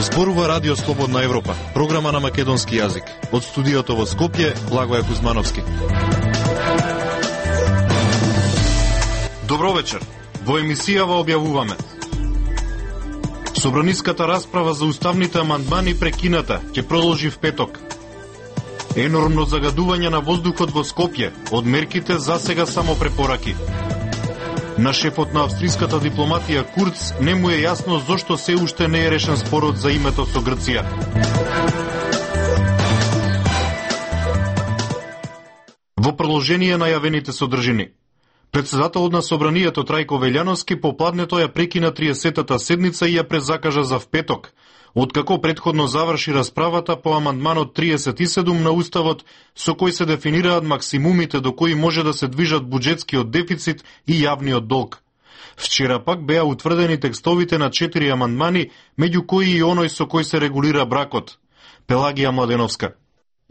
Зборува Радио Слободна Европа, програма на македонски јазик. Од студиото во Скопје, Благоје Кузмановски. Добро вечер. Во емисијава објавуваме: собраниската расправа за уставните амандмани прекината, ќе продолжи в петок. Енормно загадување на воздухот во Скопје, од мерките за сега само препораки. На шефот на австриската дипломатија Курц не му е јасно зошто се уште не е решен спорот за името со Грција. Во продолжение на јавените содржини. Председателот на собранието Трајко Велјановски попладнето ја прекина 30-та седница и ја презакажа за в петок, откако предходно заврши расправата по амандманот 37 на Уставот, со кој се дефинираат максимумите до кои може да се движат буџетскиот дефицит и јавниот долг. Вчера пак беа утврдени текстовите на 4 амандмани, меѓу кои и оној со кој се регулира бракот. Пелагија Младеновска.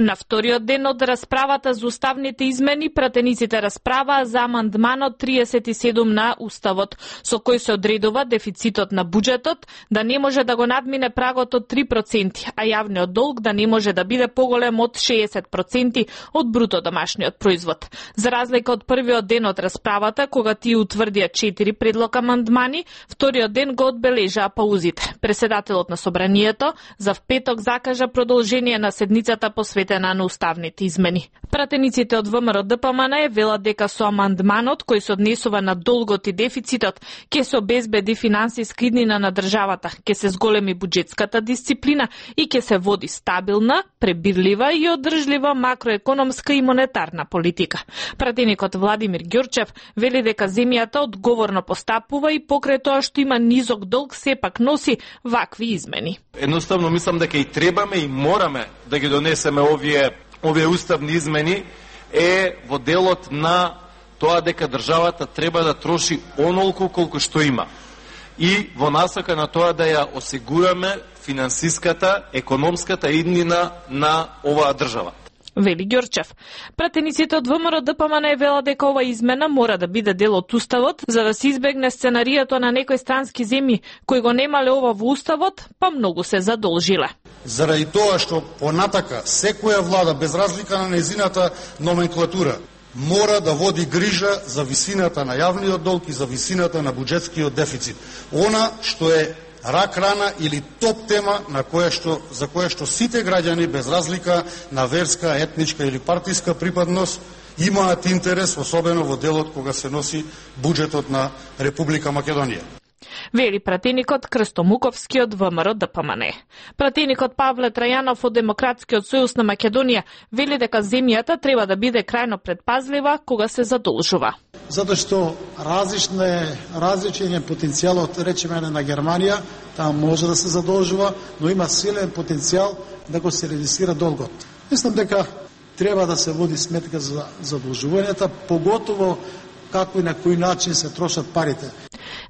На вториот ден од расправата за уставните измени, пратениците расправаа за амандманот 37 на Уставот, со кој се одредува дефицитот на буџетот да не може да го надмине прагот од 3%, а јавниот долг да не може да биде поголем од 60% од бруто домашниот производ. За разлика од првиот ден од расправата, кога тие утврдија 4 предлог амандмани, вториот ден го одбележаа паузите. Преседателот на собранието за в петок закажа продолжение на седницата посветена на уставните измени. Пратениците од ВМРО ДПМН велат дека со амандманот кој се однесува на долгот и дефицитот ќе се обезбеди финансиска иднина на државата, ќе се зголеми буџетската дисциплина и ќе се води стабилна, пребирлива и одржлива макроекономска и монетарна политика. Пратеникот Владимир Ѓорчев вели дека земјата одговорно постапува и покрај тоа што има низок долг сепак носи вакви измени. Едноставно мислам дека и требаме и мораме да ги донесеме овие уставни измени во делот на тоа дека државата треба да троши онолку колку што има и во насока на тоа да ја осигураме финансиската, економската иднина на оваа држава. Вели Ѓорчев. Пратениците од ВМРО ДПМН велат дека ова измена мора да биде дел од Уставот, за да се избегне сценарието на некои странски земји кои го немале ова во Уставот, па многу се задолжиле. Заради тоа што понатака секоја влада, без разлика на незината номенклатура, мора да води грижа за висината на јавниот долг и за висината на буџетскиот дефицит. Она што е рак рана или топ тема за која што сите граѓани без разлика на верска, етничка или партиска припадност имаат интерес, особено во делот кога се носи буџетот на Република Македонија. Вели пратеникот Крсто Муковски од ВМРО ДПМН. Пратеникот Павле Трајанов од Демократскиот сојуз на Македонија вели дека земјата треба да биде крајно предпазлива кога се задолжува. Затоа што различен е потенцијалот, речеме на Германија, таа може да се задолжува, но има силен потенцијал да го се редуцира долгот. Мислам дека треба да се води сметка за задолжувањата, поготово како и на кој начин се трошат парите.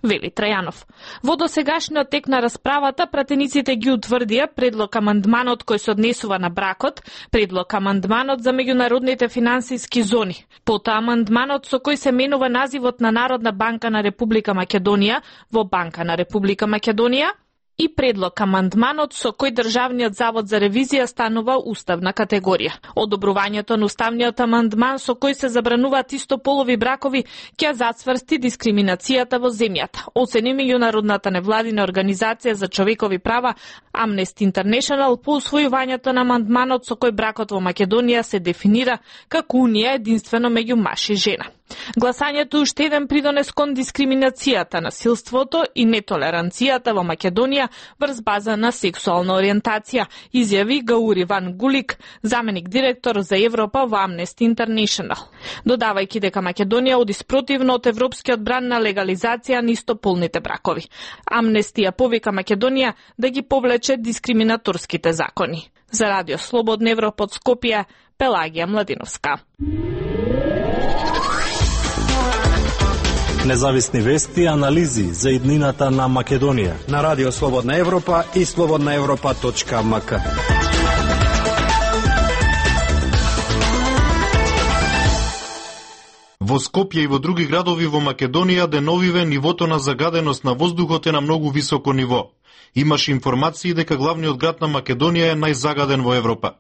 Вели Трајанов. Во досегашниот тек на расправата пратениците ги утврдија предлог амандманот кој се однесува на бракот, предлог амандманот за меѓународните финансиски зони, потоа амандманот со кој се менува називот на Народна банка на Република Македонија во Банка на Република Македонија и предлог амандманот со кој Државниот завод за ревизија станува уставна категорија. Одобрувањето на уставниот амандман со кој се забрануваат истополови бракови ќе зацврсти дискриминацијата во земјата, оцени меѓународната невладина организација за човекови права Amnesty International по усвојувањето на амандманот со кој бракот во Македонија се дефинира како унија единствено меѓу маж и жена. Гласањето е уште еден придонес кон дискриминацијата, насилството и нетолеранцијата во Македонија врз база на сексуална ориентација, изјави Гаури Ван Гулик, заменик директор за Европа во Amnesty International. Додавајќи дека Македонија оди спротивно од европскиот бран на легализација на истополните бракови. Amnesty ја повика Македонија да ги повлече дискриминаторските закони. За Радио Слободна Европа од Скопје, Пелагија Младеновска. Независни вести и анализи за иднината на Македонија на Радио Слободна Европа и slobodnaevropa.mk. Во Скопје и во други градови во Македонија деновиве нивото на загаденост на воздухот е на многу високо ниво. имаше информации дека главниот град на Македонија е најзагаден во Европа.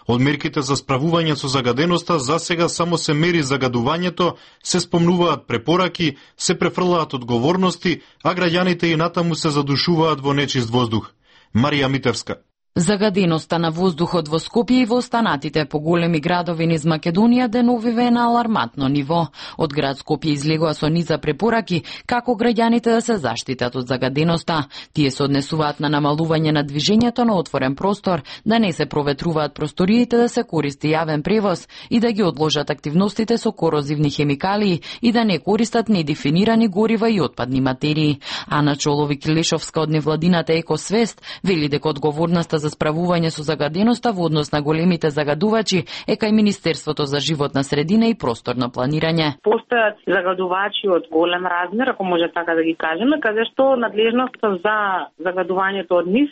Од мерките за справување со загаденоста засега само се мери загадувањето, се спомнуваат препораки, се префрлаат одговорности, а граѓаните и натаму се задушуваат во нечист воздух. Марија Митевска. Загаденоста на воздухот во Скопје и во останатите поголеми градови низ Македонија деновиве е на алармантно ниво. Од град Скопје излегоа со низа препораки како граѓаните да се заштитат од загаденоста. Тие се однесуваат на намалување на движењето на отворен простор, да не се проветруваат просториите, да се користи јавен превоз и да ги одложат активностите со корозивни хемикалии и да не користат недефинирани горива и отпадни материи. Ана Чоловик-Лешовска од невладината Екосвест вели дека одговорноста за справување со загаденоста во однос на големите загадувачи е кај Министерството за животна средина и просторно планирање. Постојат загадувачи од голем размер, ако може така да ги кажеме, каде што надлежноста за загадувањето од нив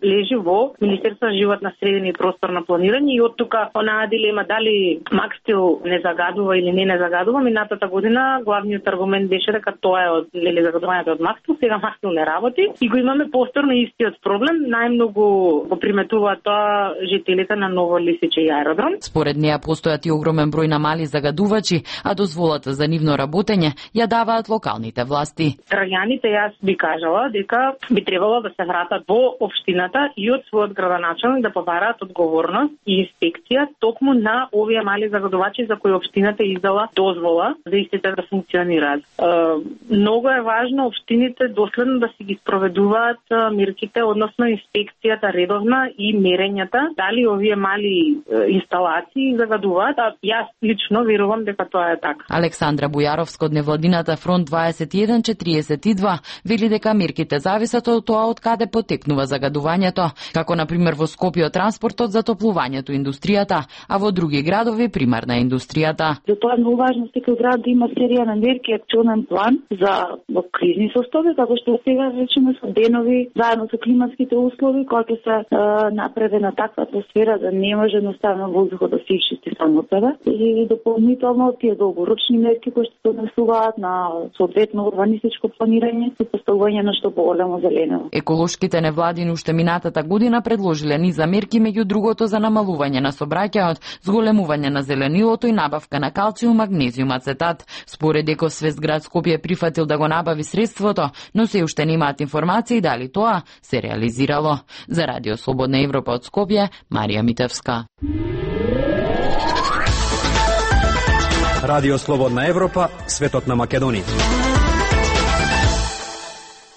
лежи во Министерството за животна средина и просторно планирање и од тука онаа дилема дали Макстил не загадува или не загадува. Минатата година главниот аргумент беше дека тоа е од загадувањето од Макстил, сега Макстил не работи и го имаме повторно истиот проблем. Најмногу го приметуваат тоа жителите на Ново Лисиче и аеродром. Според неа постојат и огромен број на мали загадувачи, а дозволата за нивно работење ја даваат локалните власти. Граѓаните, јас би кажала дека би требало да се вратат во општината и од својот градоначалник да побараат одговорност и инспекција токму на овие мали загадувачи за кои општината издала дозвола за истите да функционираат. Многу е важно општините доследно да си ги спроведуваат мерките, односно инспекцијата редовна и мерењата, дали овие мали инсталации загадуваат, а јас лично верувам дека тоа е така. Александра Бујаровска од невладината Фронт 2142 вели дека мерките зависат од тоа од каде потекнува загадувањето, како на пример во Скопје од транспортот, затоплувањето, индустријата, а во други градови примарна индустријата. Затоа е многу важно секој град да има серија на мерки, акционен план за кризни состојби, како што сега речеме со денови, заедно со климатските услови, кога ќе се направена таква атмосфера да не може едноставно воздухот да се исчисти само од себе. И дополнително тие долгорочни мерки кои што се однесуваат на соодветно урбанистичко планирање и поставување на што поголемо зелено. Еколошките невладини уште минатата година предложиле низа мерки, меѓу другото за намалување на сообраќајот, зголемување на зеленилото и набавка на калциум, магнезиум, ацетат. Според Екосвест град Скопје прифатил да го набави средството, но се уште немаат информации дали тоа се реализирало. За Радио Слободна Европа од Скопје, Марија Митевска. Радио Слободна Европа, светот на Македонија.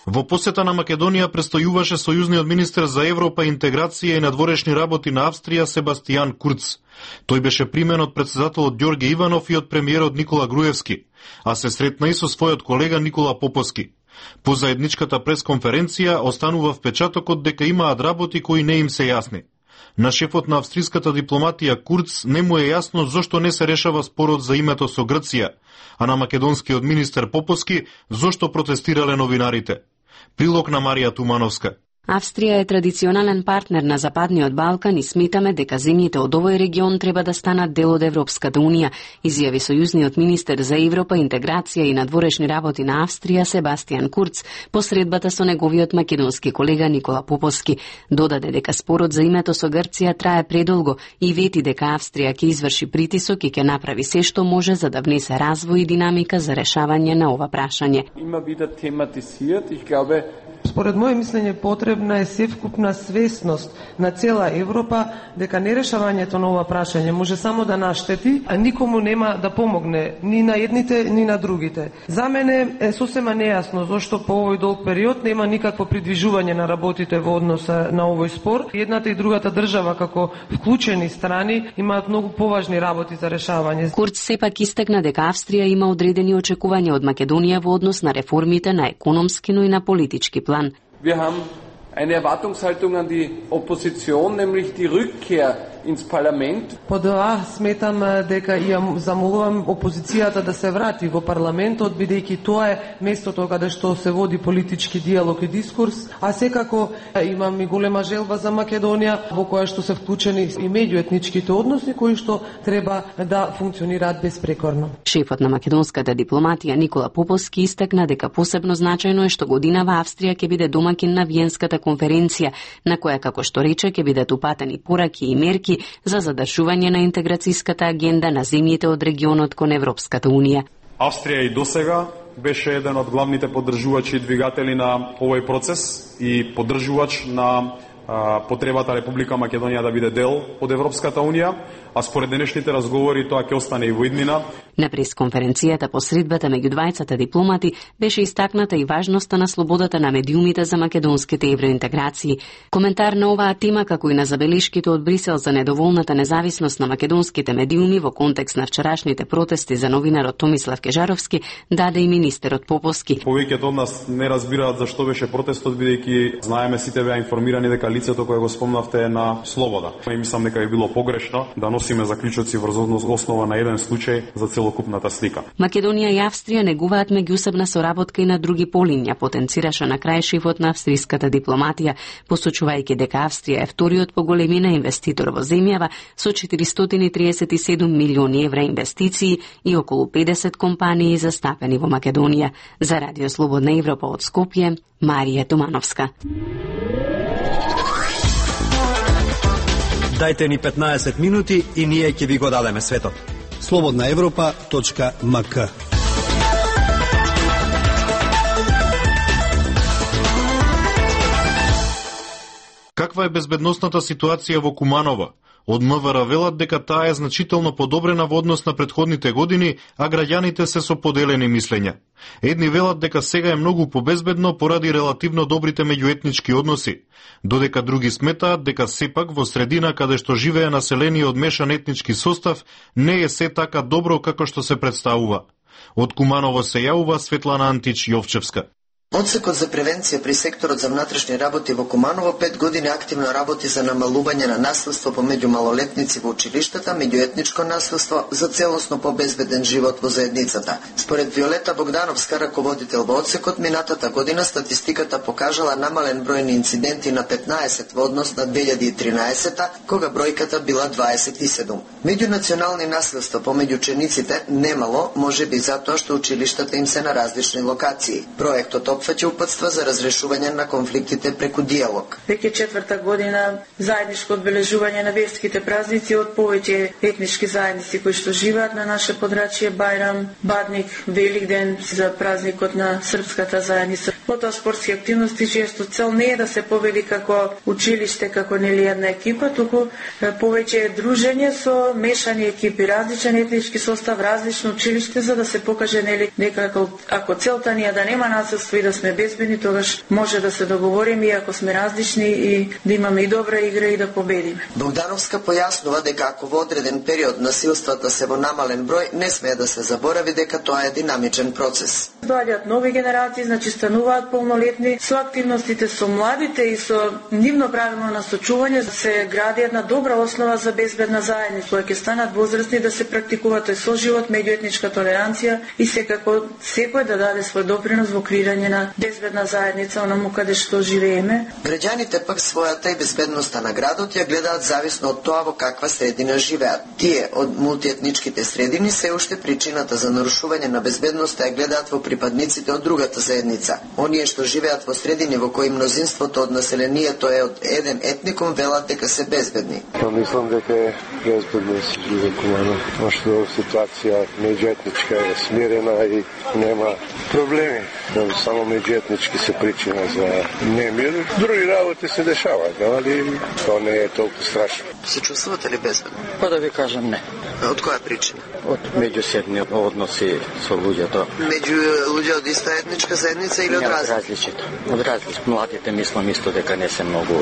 Во посета на Македонија престојуваше сојузниот министер за Европа, интеграција и надворешни работи на Австрија Себастијан Курц. Тој беше примен од претседателот Ѓорѓе Иванов и од премиерот Никола Груевски, а се сретна и со својот колега Никола Поповски. По заедничката пресконференција останува впечатокот дека имаат работи кои не им се јасни. На шефот на австриската дипломатија Курц не му е јасно зошто не се решава спорот за името со Грција, а на македонскиот министер Поповски зошто протестирале новинарите. Прилог на Марија Тумановска. Австрија е традиционален партнер на Западниот Балкан и сметаме дека земјите од овој регион треба да станат дел од Европската унија, изјави сојузниот министер за Европа, интеграција и надворешни работи на Австрија Себастијан Курц по средбата со неговиот македонски колега Никола Поповски. Додаде дека спорот за името со Грција трае предолго и вети дека Австрија ќе изврши притисок и ќе направи се што може за да внесе развој и динамика за решавање на ова прашање. Има биде тематизират, ich glaube, според моје мислење потребна е севкупна свесност на цела Европа дека нерешавањето на ова прашање може само да наштети, а никому нема да помогне, ни на едните, ни на другите. За мене е сосема нејасно зошто по овој долг период нема никакво придвижување на работите во односа на овој спор. Едната и другата држава како вклучени страни имаат многу поважни работи за решавање. Курц сепак истакна дека Австрија има одредени очекувања од Македонија во однос на реформите на економски, но и на политички план. Wir haben eine Erwartungshaltung an die Opposition, nämlich die Rückkehr ins Parlament. По тоа сметам дека ја замолувам опозицијата да се врати во парламентот, бидејќи тоа е местото каде што се води политички диалог и дискурс, а секако имам и голема желба за Македонија во која што се вклучени и меѓуетничките односи кои што треба да функционираат безпрекорно. Шефот на македонската дипломатија Никола Поповски истакна дека посебно значајно е што годинава Австрија ќе биде домакин на Виенската конференција, на која, како што рече, ќе бидат упатени пораки и мерки за задржување на интеграцијската агенда на земјите од регионот кон Европската Унија. Австрија и досега беше еден од главните поддржувачи и двигатели на овој процес и поддржувач на потребата Република Македонија да биде дел од Европската Унија, а според денешните разговори тоа ќе остане и во иднина. На пресконференцијата по средбата меѓу двајцата дипломати беше истакната и важноста на слободата на медиумите за македонските евроинтеграции. Коментар на оваа тема, како и на забелешките од Брисел за недоволната независност на македонските медиуми во контекст на вчерашните протести за новинарот Томислав Кежаровски, даде и министерот Поповски. Повеќето од нас не разбираат зашто беше протестот, бидејќи знаеме сите беа информирани дека лицето кое го спомнавте е на слобода. И мислам дека би било погрешно да носиме заклучоци врз основа на еден случај за целокупната слика. Македонија и Австрија негуваат меѓусебна соработка и на други полиња, потенцираше на крај шефот на австриската дипломатија, посочувајќи дека Австрија е вториот по големина инвеститор во земјава со 437 милиони евра инвестиции и околу 50 компании застапени во Македонија. За Радио Слободна Европа од Скопје, Марија Тумановска. Дајте ни 15 минути и ние ќе ви го дадеме светот. slobodnaevropa.mk. Каква е безбедносната ситуација во Куманово? Од МВР велат дека таа е значително подобрена во однос на претходните години, а граѓаните се со поделени мислења. Едни велат дека сега е многу побезбедно поради релативно добрите меѓуетнички односи, додека други сметаат дека сепак во средина каде што живее население од мешан етнички состав не е се така добро како што се представува. Од Куманово се јавува Светлана Антич Јовчевска. Одсекот за превенција при секторот за внатрешни работи во Куманово 5 години активно работи за намалување на насилство помеѓу малолетници во училиштата, меѓуетничко насилство за целосно побезбеден живот во заедницата. Според Виолета Богдановска, раководител во одсекот, минатата година статистиката покажала намален број на инциденти на 15 во однос на 2013, кога бројката била 27. Меѓунационални насилства помеѓу учениците немало, можеби затоа што училиштата им се на различни локации. Проектот опфаќа упатства за разрешување на конфликтите преку диалог. Веќе четврта година заедничко одбележување на верските празници од повеќе етнички заедници кои што живеат на наше подрачје, Бајрам, Бадник, Великден за празникот на српската заедница. Потоа спортски активности често цел не е да се победи како училиште, како нели една екипа, туку повеќе дружење со мешани екипи, различен етнички состав, различно училиште, за да се покаже нели дека ако целта ни е да нема насилство и да сме безбедни, тогаш може да се договориме и ако сме различни и да имаме и добра игра и да победиме. Богдановска појаснува дека ако во одреден период насилствата се во намален број, не смее да се заборави дека тоа е динамичен процес. Доаѓаат нови генерации, значи стануваат полнолетни, со активностите со младите и со нивно правилно насочување се гради една добра основа за безбедна заедница, која ќе станат возрастни да се практикува тој соживот, меѓуетничка толеранција и секако секој да даде свој допринос во креирање на безбедна заедница онаму каде што живееме. Граѓаните пак својата и безбедноста на градот ја гледаат зависно од тоа во каква средина живеат. Тие од мултиетничките средини се уште причината за нарушување на безбедноста ја гледаат во припадниците од другата заедница. Оние што живеат во средини во кои мнозинството од населението е од еден етникум велат дека се безбедни. Мислам дека е безбедно да се живее Куманово, пошто ситуација меѓуетничка е смирена и нема проблеми. Само меѓуетнички се причина за немир. Други работи се дешаваат, али тоа не е толку страшно. Се чувствувате ли безбедно? Па да ви кажам не. Од која причина? Од меѓусебни односи со луѓето. Меѓу луѓе од иста етничка заедница или од различито? Од различито. Младите мислам исто дека не се многу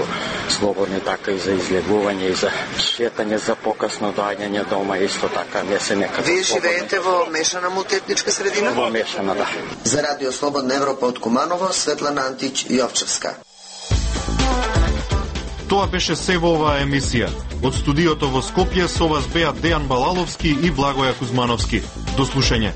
слободни, така и за излегување и за шетање за покасно доаѓање дома исто така не се некако. Вие живеете во мешана мултиетничка средина? Во мешана, да. За Радио Слободна Европа од Куманово, Светлана Антич Јовчевска. Тоа беше се во оваа емисија. Од студиото во Скопје со вас беа Дејан Балаловски и Благоја Кузмановски. До слушање.